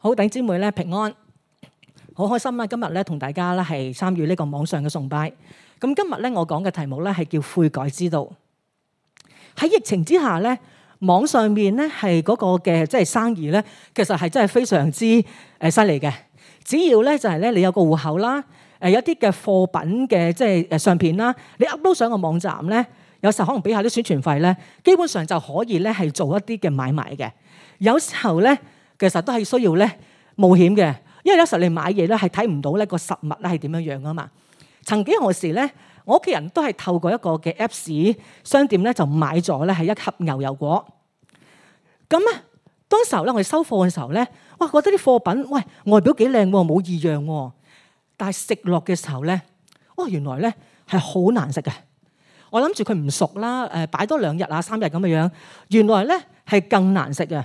好，弟兄姊妹咧平安，好開心啦！今日咧同大家咧係參與呢個網上嘅崇拜。咁今日咧我講嘅題目咧係叫悔改之道。喺疫情之下咧，網上面咧係嗰個嘅即係生意咧，其實係真係非常之犀利嘅。只要咧就係咧你有個戶口啦，有啲嘅貨品嘅即係相片啦，你 upload 上個網站咧，有時候可能俾下啲宣傳費咧，基本上就可以咧係做一啲嘅買賣嘅。有時候咧。其實都係需要咧冒險嘅，因為有時候你買嘢咧係睇唔到咧個實物咧係點樣樣啊嘛。曾幾何時咧，我屋企人都係透過一個嘅 Apps 商店咧就買咗咧係一盒牛油果。咁啊，當時候咧我哋收貨嘅時候咧，哇覺得啲貨品喂外表幾靚喎，冇異樣喎。但係食落嘅時候咧，哦原來咧係好難食嘅。我諗住佢唔熟啦，擺多2日啊3日咁嘅樣，原來咧係更難食嘅。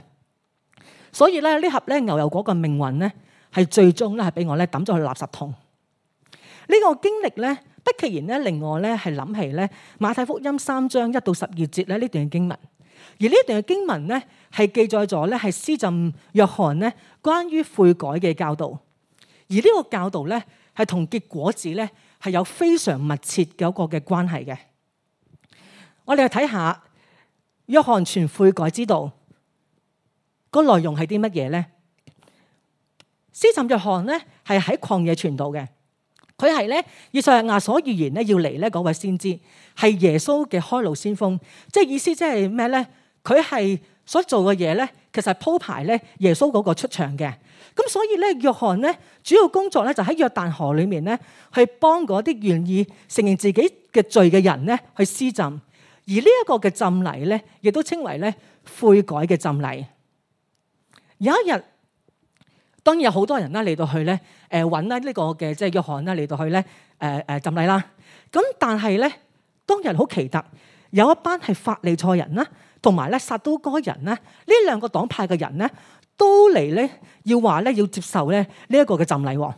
所以咧呢盒咧牛油果嘅命運咧係最終咧係俾我咧抌咗去垃圾桶。呢個經歷咧不其然咧令我咧係諗起咧馬太福音3章1到12節咧呢段嘅經文。而呢段嘅經文咧係記載咗咧係施浸約翰咧關於悔改嘅教導。而呢個教導咧係同結果子咧係有非常密切嘅一個嘅關係嘅。我哋去睇下約翰傳悔改之道。個內容係啲乜嘢咧？施浸約翰咧係喺曠野傳道嘅，佢係咧以賽亞所預言咧要嚟咧嗰位先知，係耶穌嘅開路先鋒。即係意思即係咩咧？佢係所做嘅嘢咧，其實係鋪排咧耶穌嗰個出場嘅。咁所以咧，約翰咧主要工作咧就喺約旦河裏面咧去幫嗰啲願意承認自己嘅罪嘅人咧去施浸。而呢一個嘅浸禮咧，亦都稱為咧悔改嘅浸禮。有一日，當然有好多人啦嚟到去咧，揾啦呢個嘅即係約翰啦嚟到去咧，浸禮啦。咁但係咧，當日好奇特，有一班係法利賽人啦，同埋咧撒都該人啦，呢2個黨派嘅人咧，都嚟咧要話咧要接受咧呢一個嘅浸禮。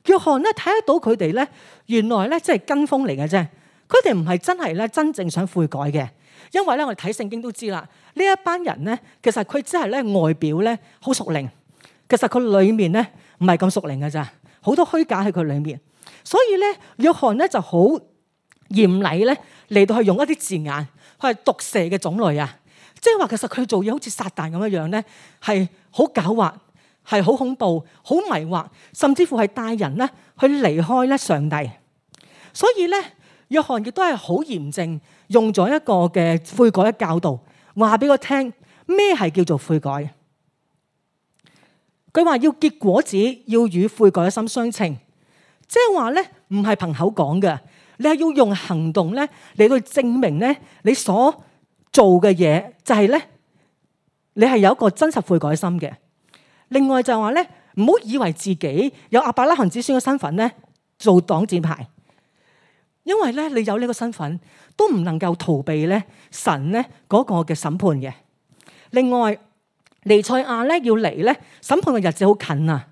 約翰咧睇得到佢哋咧，原來咧即係跟風嚟嘅啫，佢哋唔係真係咧真正想悔改嘅。因為咧，我哋睇聖經都知啦，呢一班人咧，其實佢只係咧外表咧好屬靈，其實佢裏面咧唔係咁屬靈嘅咋，好多虛假喺佢裏面。所以咧，約翰咧就好嚴厲咧嚟到去用一啲字眼，佢係毒蛇嘅種類啊，即係話其實佢做嘢好似撒旦咁樣樣咧，係好狡猾，係好恐怖，好迷惑，甚至乎係帶人咧去離開咧上帝。所以咧，約翰亦都係好嚴正。用咗一個嘅悔改嘅教導，話俾我聽咩係叫做悔改。佢話要結果子，要與悔改嘅心相稱，即係話咧唔係憑口講嘅，你係要用行動咧嚟去證明咧你所做嘅嘢就係咧你係有一個真實悔改心嘅。另外就係話咧唔好以為自己有亞伯拉罕子孫嘅身份咧做擋箭牌。因為咧，你有呢個身份，都唔能夠逃避咧神咧嗰個嘅審判嘅。另外，彌賽亞咧要嚟咧，審判嘅日子好近啊！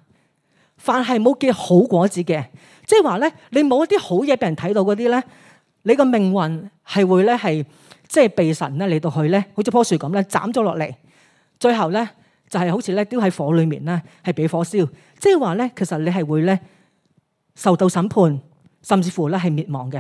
凡係冇結好果子嘅，即係話咧，你冇一啲好嘢俾人睇到嗰啲咧，你個命運係會咧係即係被神咧嚟到去咧，好似棵樹咁咧斬咗落嚟，最後咧就係好似咧丟喺火裏面咧，係俾火燒。即係話咧，其實你係會咧受到審判。甚至乎咧係滅亡嘅，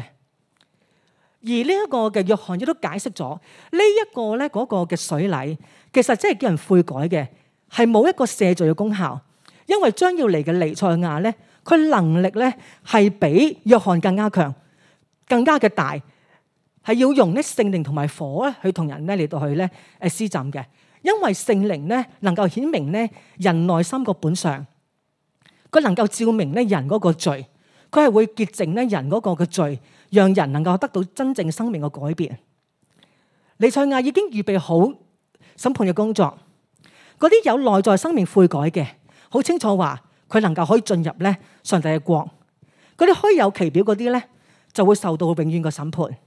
而呢一個嘅約翰亦都解釋咗呢一個咧嗰個嘅水禮，其實即係叫人悔改嘅，係冇一個赦罪嘅功效，因為將要嚟嘅彌賽亞咧，佢能力咧係比約翰更加強、更加嘅大，係要用咧聖靈同埋火咧去同人咧嚟到去咧施浸嘅，因為聖靈咧能夠顯明咧人內心個本相，佢能夠照明咧人嗰個罪。佢係會潔淨咧人嗰個嘅罪，讓人能夠得到真正生命嘅改變。彌賽亞已經預備好審判嘅工作，嗰啲有內在生命悔改嘅，好清楚話佢能夠可以進入咧上帝嘅國。嗰啲虛有其表嗰啲咧，就會受到永遠嘅審判。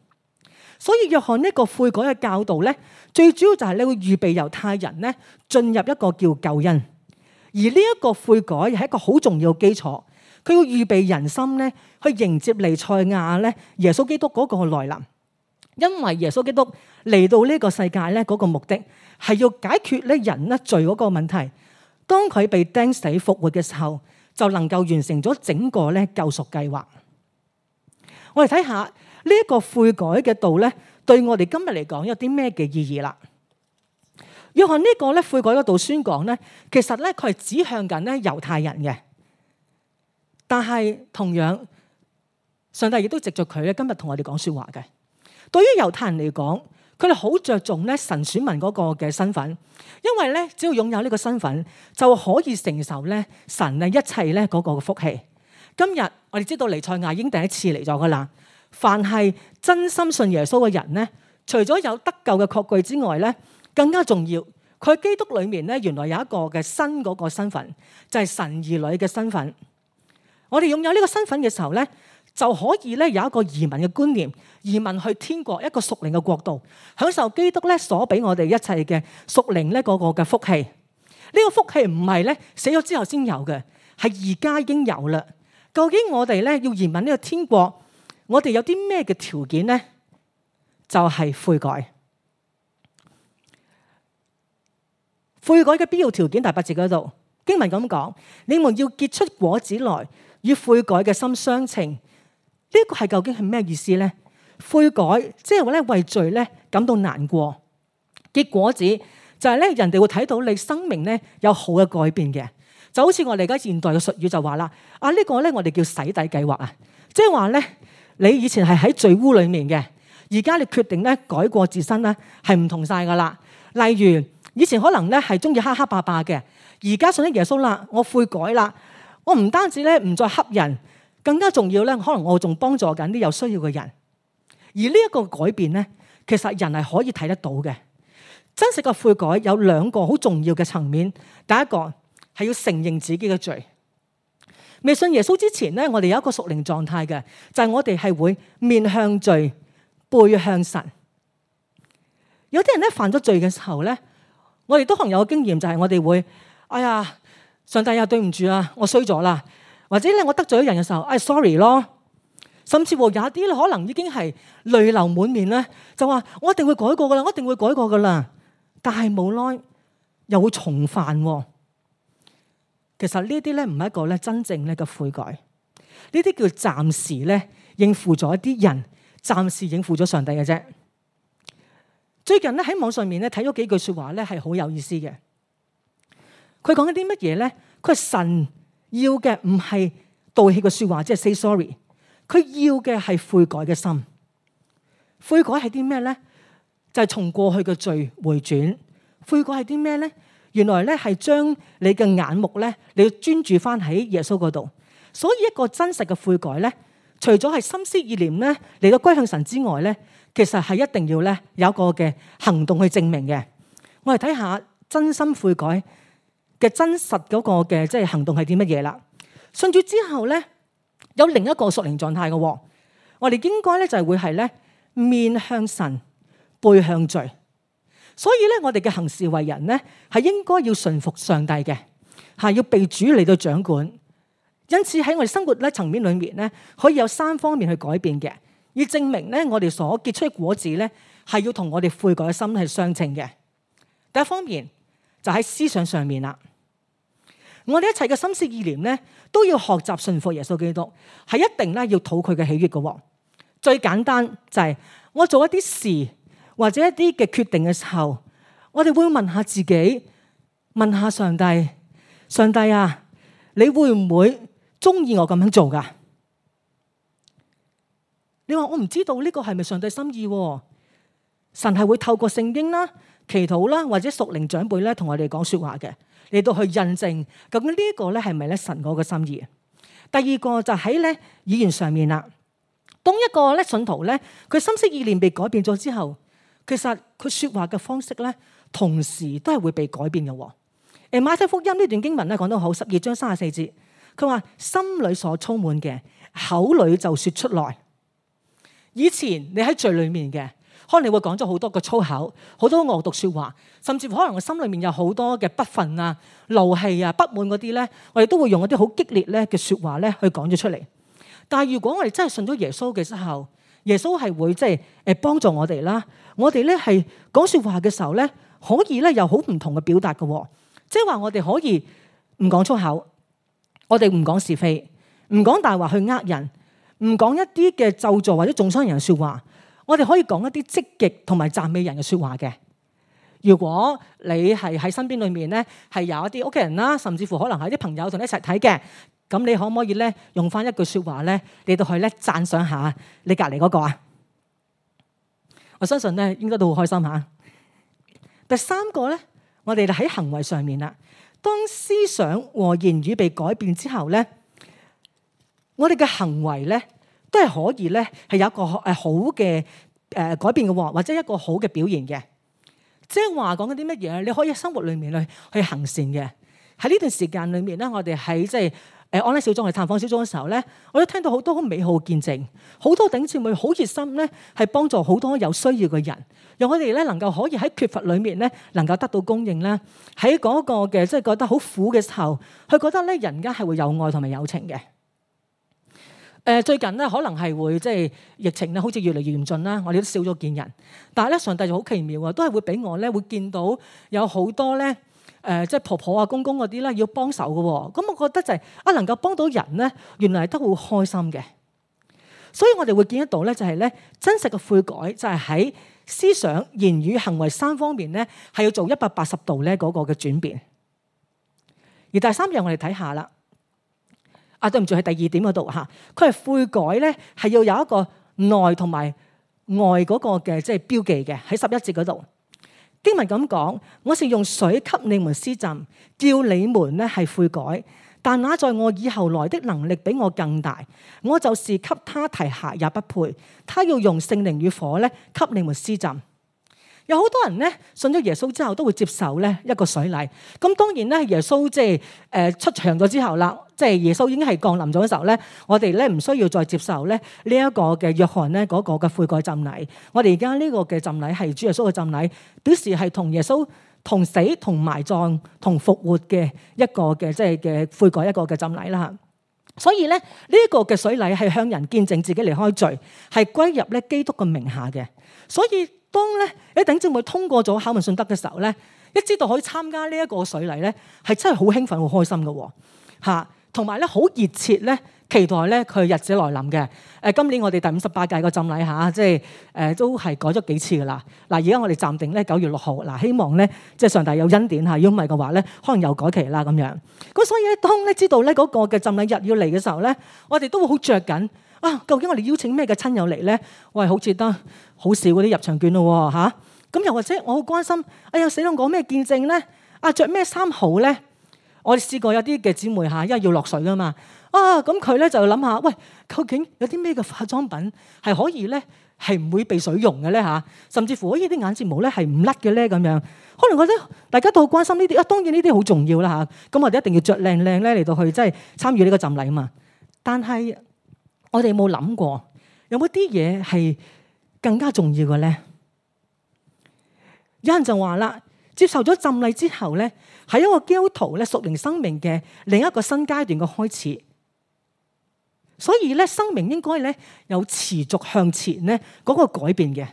所以約翰呢個悔改嘅教導咧，最主要就係你會預備猶太人咧進入一個叫救恩，而呢一個悔改係一個好重要嘅基礎。佢要預備人心咧，去迎接彌賽亞咧，耶穌基督嗰個來臨。因為耶穌基督嚟到呢個世界咧，嗰個目的係要解決咧人咧罪嗰個問題。當佢被釘死復活嘅時候，就能夠完成咗整個咧救贖計劃。我哋睇下呢一個悔改嘅道咧，對我哋今日嚟講有啲咩嘅意義啦？約翰呢個咧悔改嘅道宣講咧，其實咧佢係指向緊咧猶太人嘅，但係同樣上帝亦都藉著佢咧今日同我哋講說話嘅。對於猶太人嚟講，佢哋好着重咧神選民嗰個嘅身份，因為咧只要擁有呢個身份，就可以承受咧神咧一切咧嗰個嘅福氣。今日我哋知道彌賽亞已經第一次嚟咗噶啦，凡係真心信耶穌嘅人咧，除咗有得救嘅確據之外咧，更加重要，佢喺基督裏面咧原來有一個嘅新嗰個身份，就係神兒女嘅身份。我哋擁有呢個身份嘅時候咧，就可以咧有一個移民嘅觀念，移民去天國一個屬靈嘅國度，享受基督咧所俾我哋一切嘅屬靈咧嗰個嘅福氣。呢個福氣唔係咧死咗之後先有嘅，係而家已經有啦。究竟我哋咧要移民呢個天國，我哋有啲咩嘅條件呢？就係悔改。悔改嘅必要條件第8節嗰度經文咁講：你們要結出果子來，與悔改嘅心相稱。呢個係究竟係咩意思呢？悔改即係話咧為罪咧感到難過，結果子就係咧人哋會睇到你生命咧有好嘅改變嘅。就好似我哋而家現代嘅術語就話啦，呢個咧我哋叫洗底計劃啊，即係話咧你以前係喺罪污裏面嘅，而家你決定咧改過自身咧係唔同晒噶啦。例如以前可能咧係中意黑黑霸霸嘅，而家信咗耶穌啦，我悔改啦，我唔單止咧唔再恰人，更加重要咧，可能我仲幫助緊啲有需要嘅人。而呢一個改變咧，其實人係可以睇得到嘅。真實嘅悔改有2個好重要嘅層面，第一個係要承認自己嘅罪。未信耶穌之前咧，我哋有一個屬靈狀態嘅，就係我哋係會面向罪，背向神。有啲人咧犯咗罪嘅時候咧，我哋都可能有個經驗，就係我哋會，哎呀，上帝啊，對唔住啊，我衰咗啦，或者咧我得罪咗人嘅時候，sorry 咯。甚至乎有啲咧可能已經係淚流滿面咧，就話我一定會改過噶啦，我一定會改過噶啦。但係冇耐又會重犯。其實呢啲咧唔係一個咧真正咧嘅悔改，呢啲叫暫時咧應付咗一啲人，暫時應付咗上帝嘅啫。最近咧喺網上面咧睇咗幾句說話咧係好有意思嘅。佢講緊啲乜嘢咧？佢係神要嘅唔係道歉嘅說話，即係 say sorry。佢要嘅係悔改嘅心。悔改係啲咩咧？就係從過去嘅罪回轉。悔改係啲咩咧？原來咧係將你嘅眼目咧，你要專注翻喺耶穌嗰度。所以一個真實嘅悔改咧，除咗係心思意念咧嚟到歸向神之外咧，其實係一定要咧有一個嘅行動去證明嘅。我哋睇下真心悔改嘅真實嗰個嘅即係行動係啲乜嘢啦？信主之後咧，有另一個屬靈狀態嘅。我哋應該咧就係會係咧面向神，背向罪。所以咧，我哋嘅行事為人咧係應該要順服上帝嘅，係要被主嚟到掌管。因此喺我哋生活咧層面裏面咧，可以有3方面去改變嘅，以證明咧我哋所結出嘅果子咧係要同我哋悔改嘅心係相稱嘅。第一方面就喺思想上面啦，我哋一切嘅心思意念咧都要學習順服耶穌基督，係一定咧要討佢嘅喜悅嘅。最簡單就係我做一啲事或者一啲嘅決定嘅時候，我哋會問下自己，問下上帝，上帝啊，你會唔會中意我咁樣做噶？你話我唔知道呢個係咪上帝心意？神係會透過聖經啦、祈禱啦或者屬靈長輩咧同我哋講說話嘅，嚟到去印證究竟呢一個咧係咪咧神嗰個心意。第二個就喺咧語言上面啦。當一個咧信徒咧，佢心思意念被改變咗之後，其實佢說話嘅方式咧，同時都係會被改變嘅。馬太福音呢段經文咧講得好，12章34節，佢話心裏所充滿嘅，口裏就說出來。以前你喺罪裏面嘅，可能你會講咗好多個粗口，好多惡毒說話，甚至乎可能我心裏面有好多嘅不忿啊、怒氣啊、不滿嗰啲咧，我哋都會用一啲好激烈咧嘅說話咧去講咗出嚟。但係如果我哋真係信咗耶穌嘅時候，耶穌係會即係幫助我哋啦。我哋咧係講說話嘅時候咧，可以咧有好唔同嘅表達嘅。即係話我哋可以唔講粗口，我哋唔講是非，唔講大話去呃人，唔講一啲嘅咒詛或者中傷人嘅說話。我哋可以講一啲積極同埋讚美人嘅說話嘅。如果你係喺身邊裏面咧，係有一啲屋企人啦，甚至乎可能係啲朋友同你一齊睇嘅，咁你可唔可以咧用翻一句說話咧，你到去咧讚賞下你隔籬嗰個啊？我相信咧應該都好開心吓。第三個咧，我哋喺行為上面啦，當思想和言語被改變之後咧，我哋嘅行為咧都係可以咧係有一個好嘅改變嘅喎，或者一個好嘅表現嘅。即係話講緊啲乜嘢？你可以喺生活裏面去行善嘅。喺呢段時間裏面咧，我哋喺即係安利小組去探訪小組嘅時候咧，我都聽到好多好美好嘅見證，好多弟兄姊妹好熱心咧，係幫助好多有需要嘅人，讓我哋咧能夠可以喺缺乏裏面咧能夠得到供應啦。喺嗰個嘅即係覺得好苦嘅時候，佢覺得咧人家係會有愛同埋友情嘅。最近咧可能係會即係疫情咧，好似越嚟越嚴峻啦，我哋都少咗見人。但係咧，上帝就好奇妙啊，都係會俾我咧會見到有好多咧即係婆婆啊、公公嗰啲咧要幫手嘅喎。咁我覺得就係能夠幫到人咧，原來都好開心嘅。所以我哋會見得到咧，就係咧真實嘅悔改就係喺思想、言語、行為三方面咧係要做180度咧嗰個嘅轉變。而第三樣我哋睇下啦。對唔住，喺第二點嗰度嚇，佢係悔改咧，係要有一個內同埋外嗰個嘅即係標記嘅。喺11節嗰度經文咁講，我是用水給你們施浸，叫你們咧係悔改。但那在我以後來的能力比我更大，我就是給他提鞋也不配。他要用聖靈與火咧給你們施浸。有好多人咧信咗耶穌之後都會接受咧一個水禮。咁當然咧，耶穌即係出場咗之後啦，即係耶穌已經係降臨咗嘅時候咧，我哋咧唔需要再接受咧呢一個嘅約翰咧嗰個嘅悔改浸禮。我哋而家呢個嘅浸禮係主耶穌嘅浸禮，表示係同耶穌同死同埋葬同復活嘅一個嘅即係嘅悔改一個嘅浸禮啦。所以咧呢一個嘅水禮係向人見證自己離開罪，係歸入咧基督嘅名下嘅。所以當咧一弟兄姊妹通過咗考問信德嘅時候咧，一知道可以參加呢一個水禮咧，係真係好興奮、好開心嘅嚇，同埋咧好熱切咧期待咧佢日子來臨嘅。今年我哋第58屆個浸禮嚇，即係都係改咗幾次噶啦。嗱，而家我哋暫定咧9月6號，嗱希望咧即係上帝有恩典嚇，如果唔係嘅話咧，可能又改期啦咁樣。咁所以咧，當咧知道咧嗰個嘅浸禮日要嚟嘅時候咧，我哋都會好着緊。究竟我哋邀請咩嘅親友嚟咧？喂，好似得好少嗰啲入場券咯嚇。咁又或者我好關心，死啦，講咩見證咧？着咩衫好咧？我哋試過有啲嘅姊妹嚇，因為要落水噶嘛。咁佢咧就諗下，喂，究竟有啲咩嘅化妝品係可以咧係唔會被水溶嘅咧嚇？甚至乎呢啲眼睫毛咧係唔甩嘅咧咁樣。可能覺得大家都好關心呢啲。當然呢啲好重要啦嚇。咁我哋一定要着靚靚咧嚟到去即係參與呢個浸禮啊嘛。但係我哋有冇諗過，有冇啲嘢係更加重要嘅咧？有人就話啦，接受咗浸禮之後咧，係一個基督徒咧屬靈生命嘅另一個新階段嘅開始。所以咧，生命應該咧有持續向前咧嗰個改變嘅。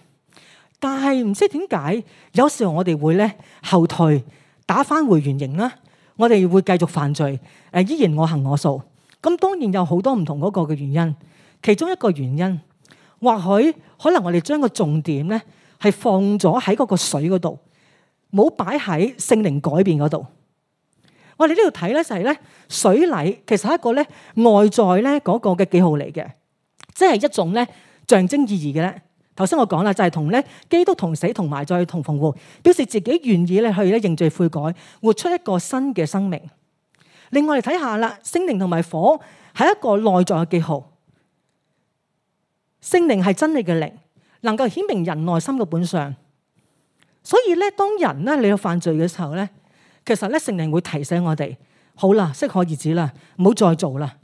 但係唔知點解，有時候我哋會咧後退，打返回原形啦。我哋會繼續犯罪，依然我行我素。咁當然有好多唔同嗰個嘅原因，其中一個原因，或許可能我哋將個重點咧係放咗喺嗰個水嗰度，冇擺喺聖靈改變嗰度。我哋呢度睇咧就係咧水禮其實係一個咧外在咧嗰個嘅記號嚟嘅，即係一種咧象徵意義嘅咧。頭先我講啦，就係同咧基督同死同埋再同復活，表示自己願意咧去咧認罪悔改，活出一個新嘅生命。另外嚟睇下啦，聖靈同埋火係一個內在嘅記號。聖靈係真理嘅靈，能夠顯明人內心嘅本相。所以咧，當人咧你有犯罪嘅時候咧，其實咧聖靈會提醒我哋，好啦，適可而止啦，唔好再做啦。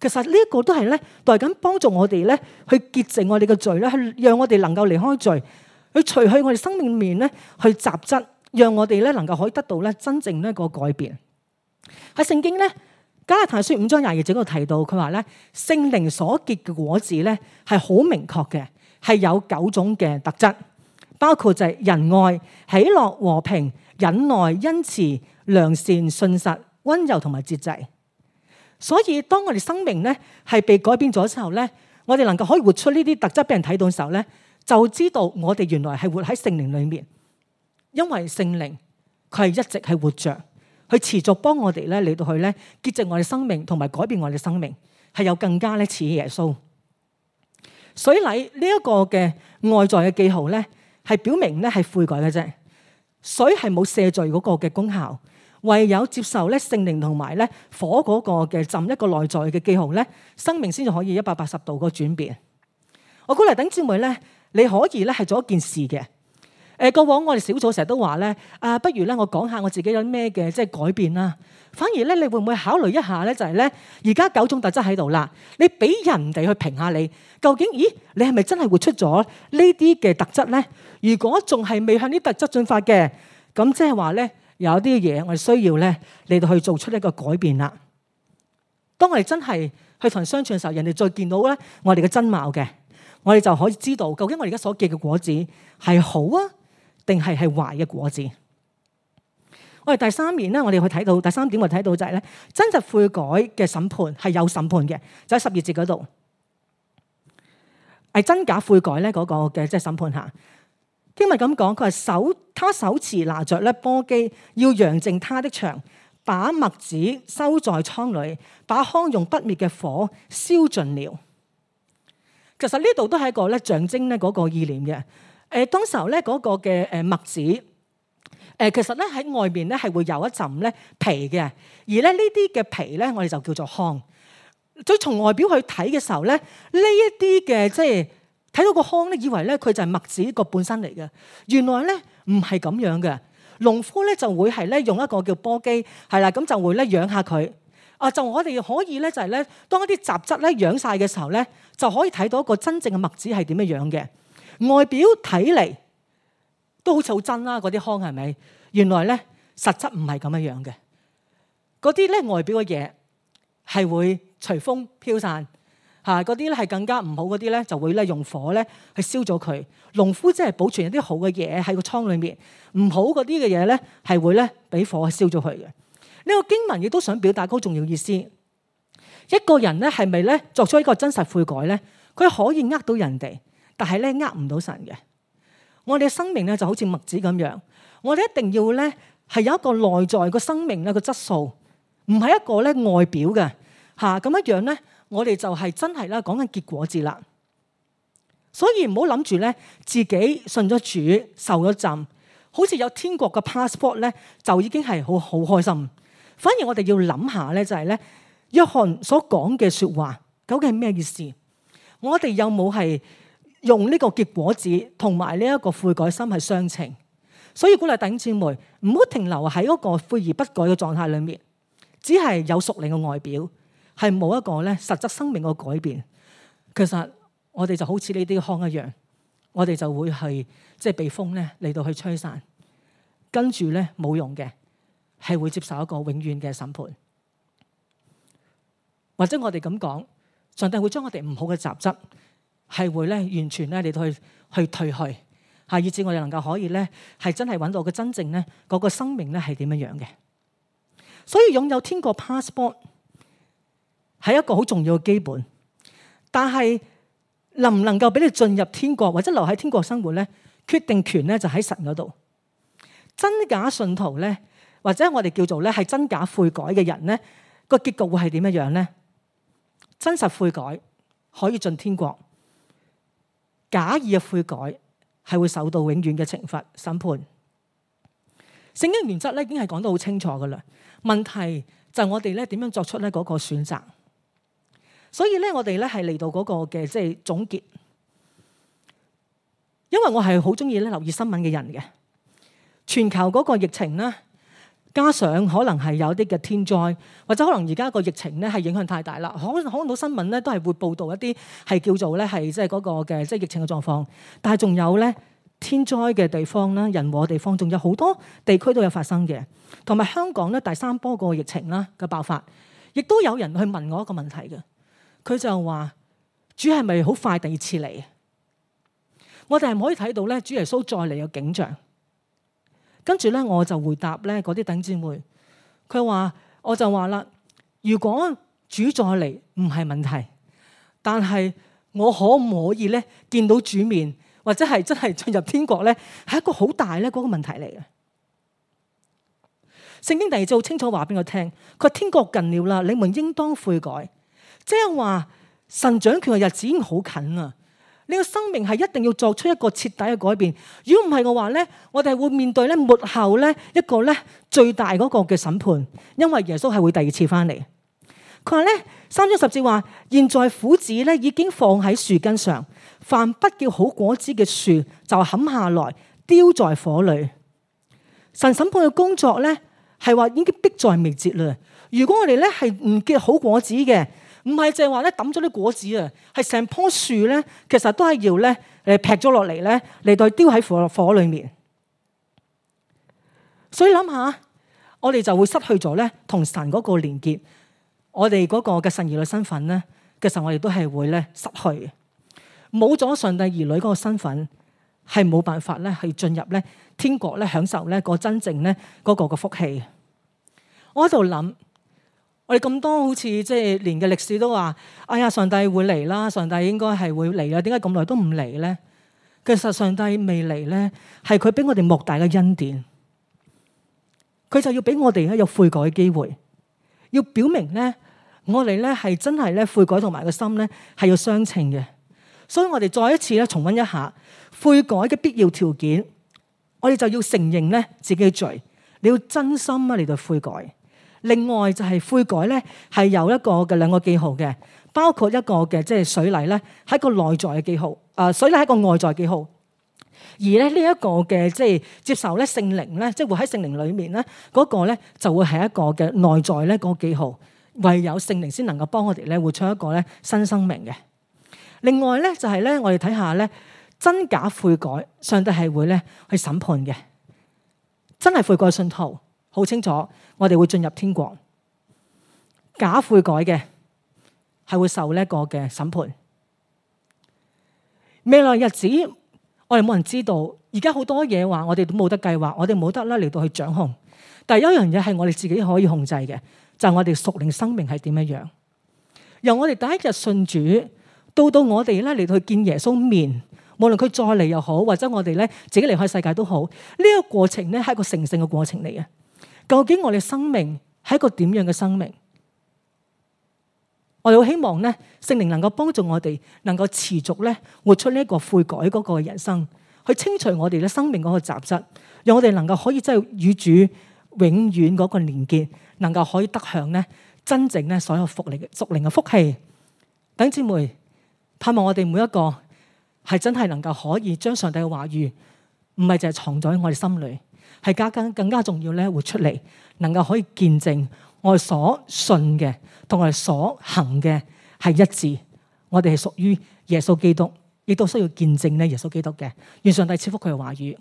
其實呢一個都係咧，代緊幫助我哋咧去潔淨我哋嘅罪咧，去讓我哋能夠離開罪，去除去我哋生命面咧去雜質，讓我哋咧能夠可以得到咧真正咧個改變。喺聖經咧加拉太書5章22節嗰度提到，佢話咧聖靈所結嘅果子咧係好明確嘅，係有9種嘅特質，包括就係仁愛、喜樂、和平、忍耐、恩慈、良善、信實、溫柔同埋節制。所以當我哋生命咧係被改變咗之後咧，我哋能夠可以活出呢啲特質俾人睇到嘅時候咧，就知道我哋原來係活喺聖靈裏面，因為聖靈佢係一直係活着，佢持續幫我哋咧嚟到去咧潔淨我哋生命同埋改變我哋生命，係有更加咧似耶穌。水禮呢一個嘅外在嘅記號咧，係表明咧係悔改嘅啫。水係冇赦罪嗰個嘅功效，唯有接受咧聖靈同埋咧火嗰個嘅浸一個內在嘅記號咧，生命先至可以180度個轉變。我鼓勵弟兄姊妹咧，你可以咧係做一件事嘅。過往我哋小組成日都話咧，不如咧我講下我自己有咩嘅即係改變啦。反而咧，你會唔會考慮一下咧？就係咧，而家9種特質喺度啦，你俾人哋去評下你，究竟咦，你係咪真係活出咗呢啲嘅特質咧？如果仲係未向呢啲特質進發嘅，咁即係話咧，有啲嘢我哋需要咧嚟到去做出一個改變啦。當我哋真係去同人相處嘅時候，人哋再見到咧我哋嘅真貌嘅，我哋就可以知道究竟我哋而家所結嘅果子係好啊，定係壞嘅果子。我哋第三面咧，我哋去睇到第三點，我睇到就係咧，真實悔改嘅審判係有審判嘅，就喺12節嗰度，係真假悔改咧嗰個嘅即係審判下。經文咁講，佢話他手持拿着咧簸箕，要揚淨他的場，把麥子收在倉裏，把糠用不滅嘅火燒盡了。其實呢度都係一個咧象徵咧嗰個意念嘅。當時候咧嗰個嘅麥子。其實咧喺外面咧係會有一層咧皮嘅，而咧呢啲嘅皮咧我哋就叫做糠。所以從外表去睇嘅時候咧，呢一啲嘅即係睇到個糠咧，以為咧佢就係麥子個本身嚟嘅。原來咧唔係咁樣嘅，農夫咧就會係咧用一個叫簸箕，係啦，咁就會咧養下佢。就我哋可以咧就係咧，當一啲雜質咧養晒嘅時候咧，就可以睇到一個真正嘅麥子係點樣樣嘅。外表睇嚟都好似好真啦，嗰啲糠係咪？原來咧實質唔係咁樣樣嘅。嗰啲咧外表嘅嘢係會隨風飄散嚇，嗰啲咧係更加唔好嗰啲咧就會咧用火咧去燒咗佢。農夫即係保存一啲好嘅嘢喺個倉裏面，唔好嗰啲嘅嘢咧係會咧俾火燒咗佢嘅。呢個經文亦都想表達嗰重要意思。一個人咧係咪咧作出一個真實悔改咧？佢可以呃到人哋，但係咧呃唔到神嘅。我哋嘅生命咧就好似麥子咁樣，我哋一定要咧係有一個內在個生命咧個質素，唔係一個咧外表嘅嚇咁一樣咧。我哋就係真係啦講緊結果子啦。所以唔好諗住咧自己信咗主受咗浸，好似有天國嘅 passport 咧就已經係好開心。反而我哋要諗下咧就係咧約翰所講嘅説話究竟係咩意思？我哋有冇係用呢個結果子同埋呢一個悔改心係相稱？所以鼓勵弟兄姊妹唔好停留喺嗰個悔而不改嘅狀態裏面，只係有屬靈嘅外表，係冇一個咧實質生命嘅改變。其實我哋就好似呢啲糠一樣，我哋就會係即係被風咧嚟到去吹散，跟住咧冇用嘅，係會接受一個永遠嘅審判。或者我哋咁講，上帝會將我哋唔好嘅雜質係會咧完全咧嚟到去退去，嚇，以至我哋能夠可以咧係真係揾到個真正咧嗰個生命咧係點樣樣嘅。所以擁有天國 passport 係一個好重要嘅基本，但係能唔能夠俾你進入天國或者留喺天國生活咧，決定權咧就喺神嗰度。真假信徒咧，或者我哋叫做咧係真假悔改嘅人咧，個結局會係點樣樣咧？真實悔改可以進天國，假意嘅悔改係會受到永遠嘅懲罰審判。聖經原則咧已經係講得好清楚噶啦，問題就係我哋咧點樣作出咧嗰個選擇。所以咧我哋咧係嚟到嗰個嘅即係總結，因為我係好中意咧留意新聞嘅人嘅，全球嗰個疫情啦。加上可能係有啲嘅天災，或者可能而家個疫情咧係影響太大啦。可能到新聞咧都係會報導一啲係叫做咧係即係嗰個嘅即係疫情嘅狀況。但係仲有咧天災嘅地方啦、人禍地方，仲有好多地區都有發生嘅。同埋香港咧第三波個疫情啦嘅爆發，亦都有人去問我一個問題嘅。佢就話：主係咪好快第二次嚟？我哋係唔可以睇到咧主耶穌再嚟嘅景象。跟住咧，我就回答咧嗰啲弟兄姊妹，佢話我就話啦，如果主再嚟唔係問題，但係我可唔可以咧見到主面，或者係真係進入天國咧，係一個好大咧嗰個問題嚟嘅。聖經第二節好清楚話俾我聽，佢話天國近了啦，你們應當悔改。即係話神掌權嘅日子已經好近啦，你個生命係一定要作出一個徹底嘅改變。如果唔係嘅話咧，我哋係會面對咧末後咧一個咧最大嗰個嘅審判，因為耶穌係會第二次翻嚟。佢話咧3章10節話，現在斧子咧已經放喺樹根上，凡不結好果子嘅樹就砍下來丟在火裏。神審判嘅工作咧係話已經迫在眉睫啦。如果我哋咧係唔結好果子嘅，唔係淨係話咧抌咗啲果子啊，係成棵樹咧，其實都係要咧劈咗落嚟咧嚟到丟喺火裏面。所以諗下，我哋就會失去咗咧同神嗰個連結，我哋嗰個嘅神兒女身份咧，其實我哋都係會咧失去。冇咗上帝兒女嗰個身份，係冇辦法咧去進入咧天國咧享受咧個真正咧嗰個嘅福氣。我喺度諗，我哋咁多好似即係年嘅歷史都話，哎呀，上帝會嚟啦，上帝應該係會嚟啦，點解咁耐都唔嚟咧？其實上帝未嚟咧，係佢俾我哋莫大嘅恩典，佢就要俾我哋咧有悔改嘅機會，要表明咧我哋咧係真係咧悔改同埋個心咧係要相稱嘅。所以我哋再一次咧重溫一下悔改嘅必要條件，我哋就要承認咧自己嘅罪，你要真心啊嚟到悔改。另外就係悔改咧係有一個嘅兩個記號嘅，包括一個嘅即係水禮咧係一個內在嘅記號，水禮係一個外在記號。而咧呢一個嘅即係接受咧聖靈咧，即係活喺聖靈裏面咧嗰個咧就會係一個嘅內在咧嗰個記號，唯有聖靈先能夠幫我哋咧活出一個咧新生命嘅。另外咧就係咧我哋睇下咧真假悔改，上帝係會咧去審判嘅。真係悔改嘅信徒好清楚，我哋會進入天國；假悔改嘅係會受呢一個嘅審判。未來日子我哋冇人知道，而家好多嘢話我哋都冇得計劃，我哋冇得啦嚟到去掌控。但係有一樣嘢係我哋自己可以控制嘅，就係我哋屬靈生命係點樣樣。由我哋第一日信主到我哋咧嚟到去見耶穌面，無論佢再嚟又好，或者我哋咧自己離開世界都好，呢個過程咧係一個成聖嘅過程嚟嘅。究竟我哋生命係一個點樣嘅生命？我哋好希望咧聖靈能夠幫助我哋，能夠持續咧活出呢一個悔改嗰個人生，去清除我哋嘅生命嗰個雜質，讓我哋能夠可以真係與主永遠嗰個連結，能夠可以得享咧真正咧所有屬靈嘅福氣。弟兄姊妹，盼望我哋每一個係真係能夠可以將上帝嘅話語，唔係淨係藏在我哋心裏，係更加重要咧活出嚟，能夠可以見證我哋所信嘅同我哋所行嘅係一致。我哋係屬於耶穌基督，亦都需要見證咧耶穌基督嘅。願上帝賜福佢嘅話語。